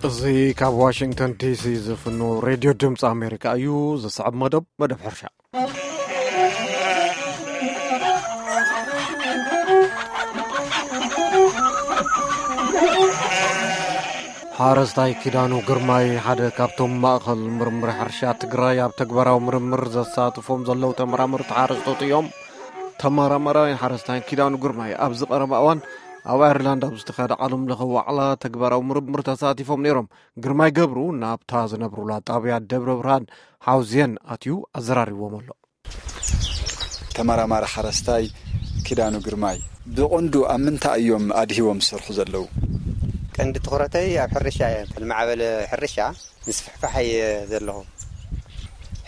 እዚ ካብ ዋሽንግተን ዲሲ ዝፍኖ ሬድዮ ድምፂ ኣሜሪካ እዩ። ዝስዕብ መደብ፣ መደብ ሕርሻ። ሓረስታይ ኪዳኑ ግርማይ ሓደ ካብቶም ማእኸል ምርምር ሕርሻ ትግራይ ኣብ ተግባራዊ ምርምር ዘሳትፎም ዘለዉ ተመራመርቲ ሓረስቶት እዮም። ተመራማራይን ሓረስታይን ኪዳኑ ግርማይ ኣብዚ ቀረባ እዋን ኣብ ኣየርላንድ ኣብ ዝተኻየደ ዓለም ለኸ ዋዕላ ተግባራዊ ምርምር ተሳቲፎም ነይሮም። ግርማይ ገብሩ ናብታ ዝነብሩላ ጣብያ ደብረ ብርሃን ሓውዜን ኣትዩ ኣዘራሪብዎም ኣሎ። ተመራማሪ ሓረስታይ ኪዳኑ ግርማይ፣ ብቐንዱ ኣብ ምንታይ እዮም ኣድሂቦም ዝሰርሑ ዘለዉ? ቀንዲ ትኹረተይ ኣብ ሕርሻ እየ። ልማዕበለ ሕርሻ ምስፍሕፋሕ እየ ዘለኹ።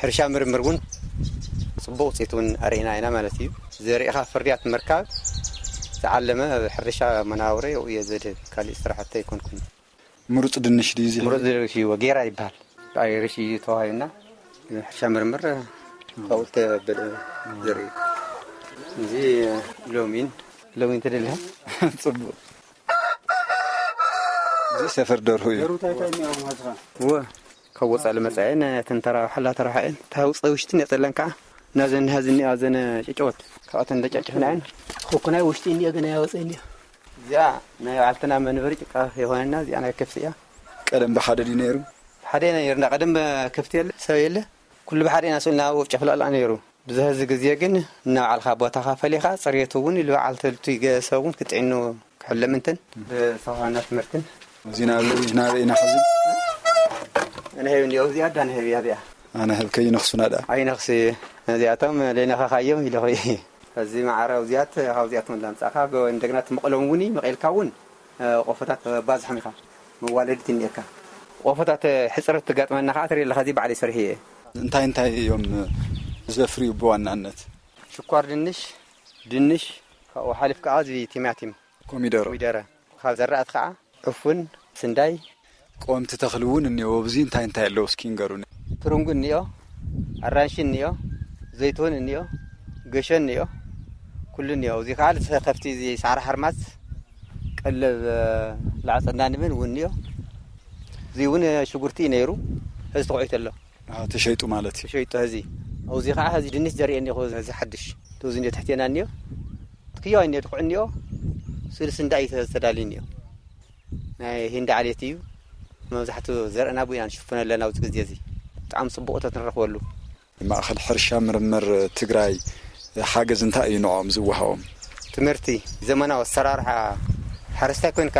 ሕርሻ ምርምር እውን ጽቡቕ ውፅኢት እውን ኣርኢና ኢና ማለት እዩ። ዘሪእኻ ፍርያት ምርካብ ዝዓለመ ኣብ ሕርሻ መናብሮ እየ ዘድህብ። ካሊእ ስራሕቲ ኣይኮንኩን። ምሩፅ ድንሽ ድዩ እዚ? ምሩፅ ድንሽ እዩ፣ ጌራ ይበሃል። ኣይርሽ እዩ ተዋሂብና። ሕርሻ ምርምር ካብኡ ተበለ ዘርኢ። እዚ ሎሚን፣ ሎሚን ተደልያ። ጽቡቕ። እዚ ሰፈር ደርሁ እዩ። እወ፣ ካብ ወጻኢ ልመጻ እየን፣ እተን ተራብሓላ ተራብሓ እየን። እታ ውጸ ውሽጥን የጸለን ከዓ። ናዘን ሃዚ እኒኣ፣ ዘን ጨጨወት። ካብኣተን እንደጨጭፍና እየን። ትኹኩናይ ውሽጢ እኒኦ፣ ገና ያወጸ እኒኦ። እዚኣ ናይ ባዕልትና መንበሪ ጭቃ የኾነና፣ እዚኣ ናይ ከፍቲ እያ። ቀደም ብሓደ ድዩ ነይሩ? ሓደ ነይርና። ቀደም ከፍቲ የለ፣ ሰብ የለ። ኩሉ ብሓደ ኢና ስእልና ኣብኡ ጨፍላላ ነይሩ። ብዝሐዚ ግዜ ግን እናባዕልኻ ቦታኻ ፈሊኻ፣ ጽሬቱ እውን ኢሉ በዓልቲ ልቱ ይገ-፣ ሰብ እውን ክጥዕኑ ክሕለም እንትን ብሳኻና ትምህርትን። እዚ ናበይ፣ ናበይ ኢና ሕዚ? ኣነ ሄብ እንዲኦ፣ እዚኣ ኣዳ ንሄብ እያ እዚኣ። ኣነ ሄብ ከይነኽሱና ደኣ። ኣይነኽሲ፣ ነዚኣቶም ለይነኻኻዮም ኢለ ኾይ። እዚ መዓረ እዚኣት፣ ካብ እዚኣቶም ላምጻኻ፣ ጎ-፣ እንደገና ትመቐሎም እውን መቐልካ እውን፣ እ፣ ቆፎታት ባዝሖም ኢኻ። መዋለዲት እኒኤካ። ቆፎታት ሕጽረት ትጋጥመና ኸዓ ትርኢ ኣለኻ፣ እዚ ባዕለይ ሰሪሐ እየ። እንታይ እንታይ እዮም ዘፍርዩ ብዋናነት? ሽኳር ድንሽ፣ ድንሽ፣ ካብኡ ሓሊፍ ከዓ እዚ ቲማቲም፣ ኮሚደሮ። ኮሚደረ። ካብ ዘራእቲ ከዓ ዕፉን፣ ስንዳይ። ቀወምቲ ተኽሊ እውን እኒኦ። ኣብዚ እንታይ እንታይ ኣለዉ እስኪ ንገሩኒ። ትርንጉ እኒኦ፣ ኣራንሺ እኒኦ፣ ዘይትሁን እኒኦ፣ ገሾ እኒኦ፣ ኩሉ እኒኦ። እዚ ከዓ ከፍቲ እዚ ሳዕሪ ሓርማዝ ቀለብ፣ እ፣ ላዕጸና ንብን እውን እኒኦ። እዚ እውን ሽጉርቲ እዩ ነይሩ፣ ሕዚ ተኾዒቱ ኣሎ። ኣዎ፣ ተሸይጡ ማለት እዩ። ተሸይጡ ሕዚ። ኣብዚ ከዓ ሕዚ ድንሽ ዘርኢ እኒኦ፣ እዚ ሓድሽ። እዚ እኒኦ ትሕቴና እኒኦ። ትክያዋ እኒኦ፣ ድኩዕ እኒኦ። ስልሲ እንዳይ ተዳልዩ እኒኦ። ናይ ሂንዲ ዓሌት እዩ። መብዛሕትኡ ዘርእና ብኡ ኢና ንሽፍኖ ኣለና ኣብዚ ግዜ እዚ። ብጣዕሚ ጽቡቕ እቶት ንረኽበሉ። ማእኸል ሕርሻ ምርምር ትግራይ ሓገዝ እንታይ እዩ ንዕኦም ዝወሃቦም? ትምህርቲ፣ ዘመናዊ ኣሰራርሓ፣ ሓረስታይ ኮይንካ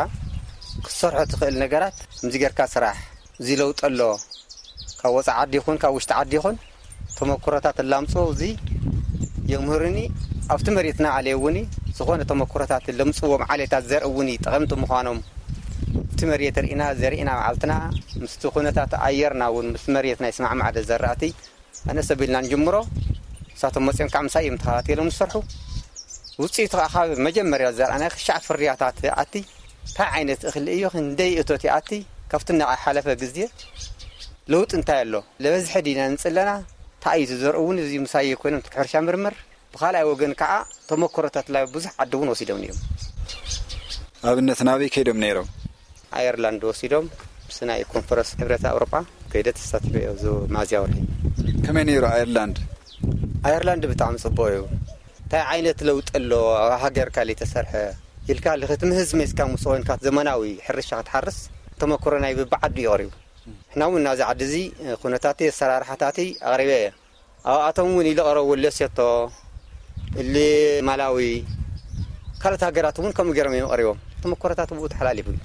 ክትሰርሖ ትኽእል ነገራት ከምዚ ጌርካ ስራሕ። እዚ ለውጢ ኣሎ። ካብ ወፃኢ ዓዲ ይኹን ካብ ውሽጢ ዓዲ ይኹን ተመክሮታት እላምፅኡ እዚ የምህሩኒ። ኣብቲ መሬትና ዓለየ እውን ዝኾነ ተመክሮታት ለምፅዎም ዓሌታት ዘርኢ እውን ጠቐምቲ ምዃኖም እቲ መሬት ርኢና ዘርኢና መዓልትና ምስቲ ኩነታት ኣየርና እውን ምስ መሬትና ይስማዕማዕ ዶ ዘራእቲ ኣነስ ኣቢልና ንጅምሮ። ንሳቶም መፂኦም ከዓ ምሳይ እዮም ተኸታቲሎም ዝሰርሑ። ውፅኢቱ ከዓ ካብ መጀመርያ ዘርኣናዮ ክሻዕ ፍርያታት ኣቲ እንታይ ዓይነት እኽሊ እዩ፣ ክንደይ እቶት ይኣቲ፣ ካብቲ እናሓለፈ ግዜ ለውጢ እንታይ ኣሎ፣ ለበዝሐ ዲና ንፅለና፣ እንታይ እዩ ዝዘርኡ እውን እዚ ምሳይ ኮይኖም ትሕርሻ ምርምር። ብኻልኣይ ወገን ከዓ ተመክሮታት ላይ ብዙሕ ዓዲ እውን ወሲዶም እዮም። ኣብነት ናበይ ከይዶም ነይሮም? ኣየርላንድ ወሲዶም ምስ ናይ ኮንፈረንስ ሕብረት ኣውሮጳ ከይደ ተሳቲፈ እየ ኣብዚ ሚያዝያ ወርሒ። ከመይ ነይሩ ኣየርላንድ? ኣየርላንድ ብጣዕሚ ጽቡቕ እዩ። እንታይ ዓይነት ለውጢ ኣሎ ኣብ ሃገርካ ለይተሰርሐ ኢልካ ክትምህዝ መይስካ ምስ ኮንካ ዘመናዊ ሕርሻ ክትሓርስ ተመክሮ ናይ ብብዓዱ እዩ ቀሪቡ። ንሕና እውን ናዚ ዓዲ እዚ ኩነታቲ ኣሰራርሓታቲ ኣቕሪበ እየ። ኣብኣቶም እውን ኢሉ ቀረቡ፣ ሌሴቶ፣ እሊ ማላዊ፣ ካልኦት ሃገራት እውን ከምኡ ገይሮም እዮም ቀሪቦም። ተመኮሮታት ብኡ ተሓላሊፉ እዩ።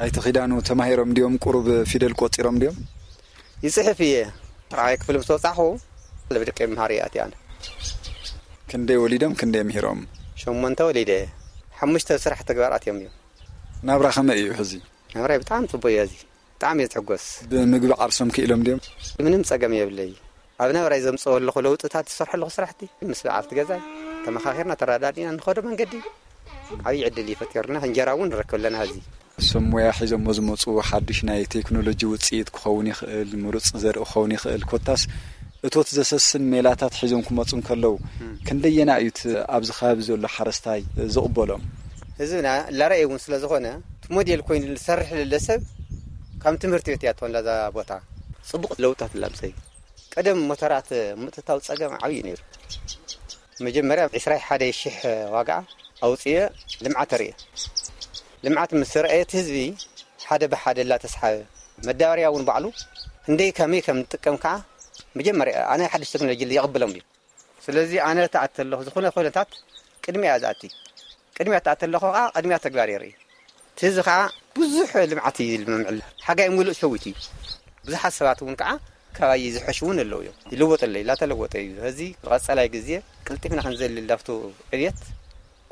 ኣይተ ኪዳኑ ተማሂሮም ድዮም? ቁሩብ ፊደል ቆጺሮም ድዮም? ይጽሕፍ እየ። ራብዓይ ክፍሊ ምስ ወጻኹ፣ ለብደቀ መሃሪ ኣትየ ኣነ። ክንደይ ወሊዶም ክንደይ ምሂሮም? ሸሞንተ ወሊደ። ሓሙሽተ ስራሕ ተግባር ኣትዮም እዮም። ናብራ ከመይ እዩ ሕዚ? ናብራይ ብጣዕሚ ጽቡቅ እዩ። እዚ ብጣዕሚ እየ ዝሕጎስ። ብምግቢ ዓርሶም ክኢሎም ድዮም? ምንም ጸገም የብለይ። ኣብ ናብራይ ዘምጽኦ ኣለኹ ለውጥታት ዝሰርሖ ኣለኹ ስራሕቲ ምስ በዓልቲ ገዛይ ተመኻኺርና ተረዳዲእና ንኸዶ መንገዲ ዓብዪ ዕድል እዩ ፈጢሩልና። እንጀራ እውን ንረክብ ኣለና። ሕዚ እሶም ሞያ ሒዞሞ ዝመፁ ሓዱሽ ናይ ቴክኖሎጂ ውፅኢት ክኸውን ይኽእል፣ ምሩፅ ዘርኢ ክኸውን ይኽእል፣ ኮታስ እቶት ዘሰስን ሜላታት ሒዞም ክመፁ እንከለዉ ክንደየና እዩ እቲ ኣብዚ ከባቢ ዘሎ ሓረስታይ ዝቕበሎም? ህዝብና ላረኣየ እውን ስለ ዝኾነ እቲ ሞዴል ኮይኑ ዝሰርሕ ለለ ሰብ ከም ትምህርቲ ቤት እያ ትኾን እዛ ቦታ። ጽቡቕ ለውጥታት ኣላ ምሰይ። ቀደም ሞተራት ምእትታው ጸገም ዓብዪ ነይሩ። መጀመርያ ዕስራ ሓደ ሽሕ ዋጋ ኣውፅየ ልምዓት ተርእየ። ልምዓት ምስ ረአየ እቲ ህዝቢ ሓደ ብሓደ ላተስሓበ፣ መዳበርያ እውን ባዕሉ ክንደይ ከመይ ከም ንጥቀም ከዓ መጀመርያ ኣነ ሓድሽ ቴክኖሎጂ የቕብሎም እዩ። ስለዚ ኣነ ተኣተ ኣለኹ ዝኾነ ኩነታት ቅድሚያ እያ ዝኣቲ። ቅድሚያ ተኣተ ኣለኹ ከዓ ቅድሚያ ተግባር የርኢ። እቲ እዚ ከዓ ብዙሕ ልምዓት እዩ ዝመምዕል። ሓጋይ ሙሉእ ሸዊት እዩ። ብዙሓት ሰባት እውን ከዓ ካባይ ዝሐሽ እውን ኣለዉ እዮም። ይልወጠለይ ላተለወጠ እዩ። እዚ ብቐፀላይ ግዜ ቅልጢፍና ክንዘልል ዳፍቶ ዕብየት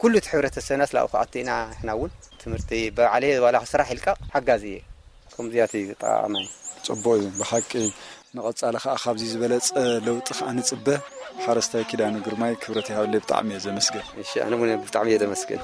ኩሉ እቲ ሕብረተሰብና ስላኡ ክኣቱ ኢና። ንሕና እውን ትምህርቲ ባዕለየ ዋላ ስራሕ ይልቀቕ ሓጋዚ እየ። ከምዚኣት እዩ ጠቓማይ። ጽቡቕ እዩ ብሓቂ። ንቐጻሊ ከኣ ካብዚ ዝበለጸ ለውጢ ከኣ ንጽበ። ሓረስታይ ኪዳኑ ግርማይ ክብረት ይሃበለይ፣ ብጣዕሚ እየ ዘመስግን። እሺ፣ ኣነ እውን ብጣዕሚ እየ ዘመስግን።